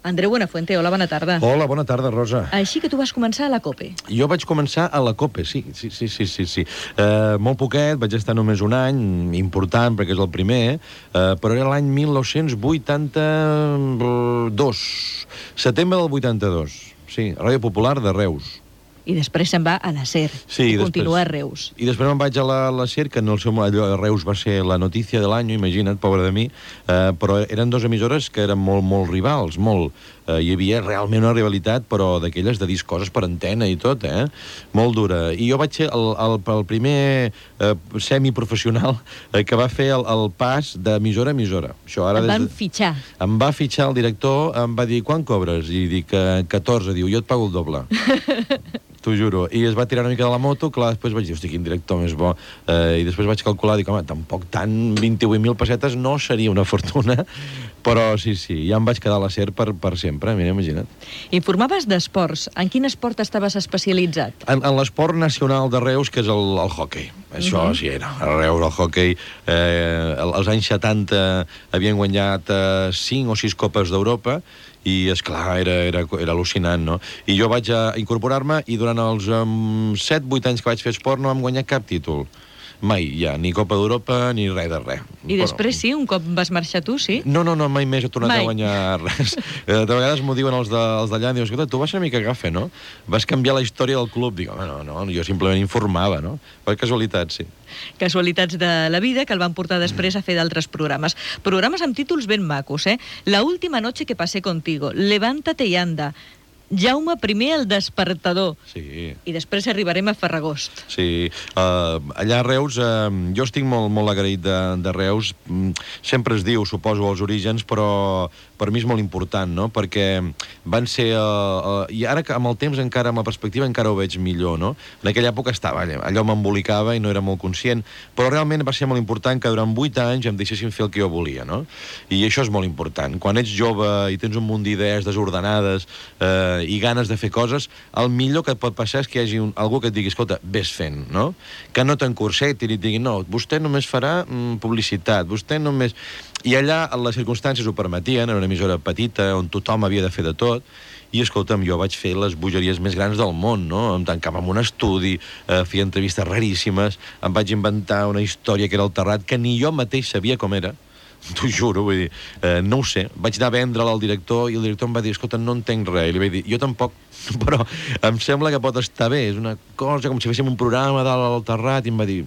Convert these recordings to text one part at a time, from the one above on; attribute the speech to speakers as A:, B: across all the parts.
A: Andreu Buenafuente, hola, bona tarda.
B: Hola, bona tarda, Rosa.
A: Així que tu vas començar a la COPE.
B: Jo vaig començar a la COPE, sí. Molt poquet, vaig estar només un any, important perquè és el primer, però era l'any 1982, setembre del 82, sí, Ràdio Popular de Reus.
A: I després se'n va a la SER,
B: sí,
A: i continua a Reus.
B: I després me'n vaig a la SER, que en el seu allò a Reus va ser la notícia de l'any, imagina't, pobre de mi, però eren dues emissores que eren molt rivals, hi havia realment una rivalitat, però d'aquelles de dir coses per antena i tot, molt dura. I jo vaig ser el primer semiprofessional que va fer el pas d'emissora a emissora.
A: Em van fitxar.
B: Em va fitxar el director, em va dir, quan cobres? I dic, 14, diu, jo et pago el doble. T'ho juro. I es va tirar una mica de la moto, clar, després vaig dir, hosti, quin director més bo. I després vaig calcular, dic, home, tampoc tant, 28.000 pessetes no seria una fortuna, però sí, ja em vaig quedar a la SER per sempre, mira, imagina't.
A: Informaves d'esports. En quin esport estaves especialitzat?
B: En l'esport nacional de Reus, que és el hoquei. Això sí era. A Reus, el hoquei. Als anys 70 havien guanyat 5 o 6 copes d'Europa, i, esclar, era al·lucinant, no? I jo vaig incorporar-me i durant els 7-8 anys que vaig fer esport no vam guanyar cap títol. Mai, ja, ni Copa d'Europa, ni res de res.
A: I després sí, un cop vas marxar tu, sí?
B: No, mai més he tornat a guanyar res. De vegades m'ho diuen els d'allà, diuen, escolta, tu vas una mica gafe, no? Vas canviar la història del club. Dic, no, jo simplement informava, no? Per casualitat, sí.
A: Casualitats de la vida que el van portar després a fer d'altres programes. Programes amb títols ben macos, La última noche que pasé contigo, Levántate y anda, Jaume I el despertador.
B: Sí.
A: I després arribarem a Ferragost.
B: Sí. Allà a Reus, jo estic molt agraït de Reus. Sempre es diu, suposo, els orígens, però per mi és molt important, no? Perquè van ser... I ara, amb el temps, encara, amb la perspectiva, encara ho veig millor, no? En aquella època estava allò m'embolicava i no era molt conscient, però realment va ser molt important que durant 8 anys em deixessin fer el que jo volia, no? I això és molt important. Quan ets jove i tens un munt d'idees desordenades i ganes de fer coses, el millor que et pot passar és que hi hagi algú que et digui, escolta, vés fent, no? Que no t'encursetin i et digui, no, vostè només farà publicitat, vostè només... I allà les circumstàncies ho permetien, era una emissora petita on tothom havia de fer de tot, i, escolta'm, jo vaig fer les bogeries més grans del món, no? Em tancava en un estudi, feia entrevistes raríssimes, em vaig inventar una història que era el Terrat, que ni jo mateix sabia com era, t'ho juro, vull dir, no ho sé. Vaig anar a vendre-la al director i el director em va dir, escolta, no entenc res. I li vaig dir, jo tampoc, però em sembla que pot estar bé. És una cosa com si féssim un programa dalt al Terrat, i em va dir,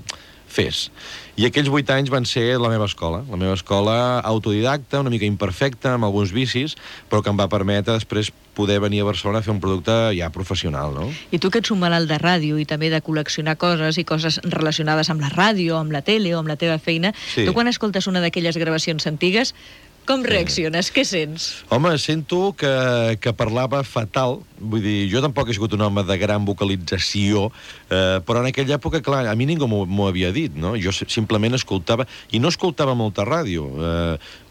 B: fes. I aquells 8 anys van ser la meva escola autodidacta, una mica imperfecta, amb alguns vicis, però que em va permetre després poder venir a Barcelona a fer un producte ja professional, no?
A: I tu que ets un malalt de ràdio i també de col·leccionar coses i coses relacionades amb la ràdio, amb la tele o amb la teva feina, tu quan escoltes una d'aquelles gravacions antigues, com reacciones? Què sents?
B: Home, sento que parlava fatal. Vull dir, jo tampoc he sigut un home de gran vocalització, però en aquella època, clar, a mi ningú m'ho havia dit, no? Jo simplement escoltava, i no escoltava molta ràdio,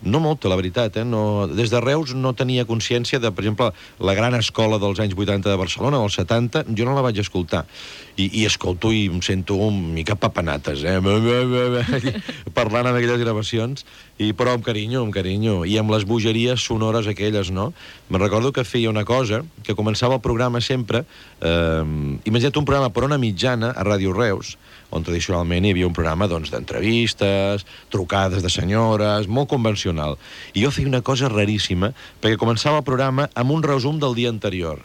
B: no molta, la veritat, No, des de Reus no tenia consciència de, per exemple, la gran escola dels anys 80 de Barcelona, dels 70, jo no la vaig escoltar. I escolto i em sento una mica papanates, parlant amb aquelles gravacions, però amb carinyo, i amb les bogeries sonores aquelles, no? Me'n recordo que feia una cosa, que començava el programa sempre, imagina't un programa per ona mitjana a Ràdio Reus, on tradicionalment hi havia un programa d'entrevistes, trucades de senyores, molt convencional. I jo feia una cosa raríssima, perquè començava el programa amb un resum del dia anterior.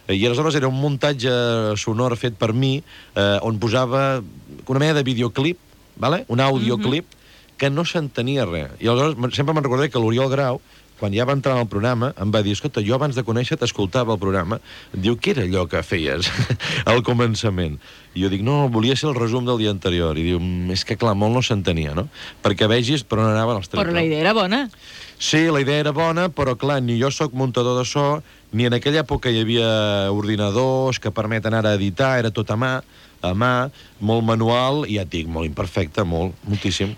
B: I aleshores era un muntatge sonor fet per mi, on posava una mena de videoclip, un audioclip, que no s'entenia res. I aleshores sempre me'n recordaré que l'Oriol Grau, quan ja va entrar en el programa, em va dir, escolta, jo abans de conèixer t'escoltava el programa, diu, què era allò que feies al començament? I jo dic, no, volia ser el resum del dia anterior. I diu, és que clar, molt no s'entenia, no? Perquè vegis per on anaven els trets.
A: Però la idea era bona.
B: Sí, la idea era bona, però clar, ni jo sóc muntador de so, ni en aquella època hi havia ordinadors que permeten ara editar, era tot a mà, molt manual, i ja et dic, molt imperfecte, moltíssim.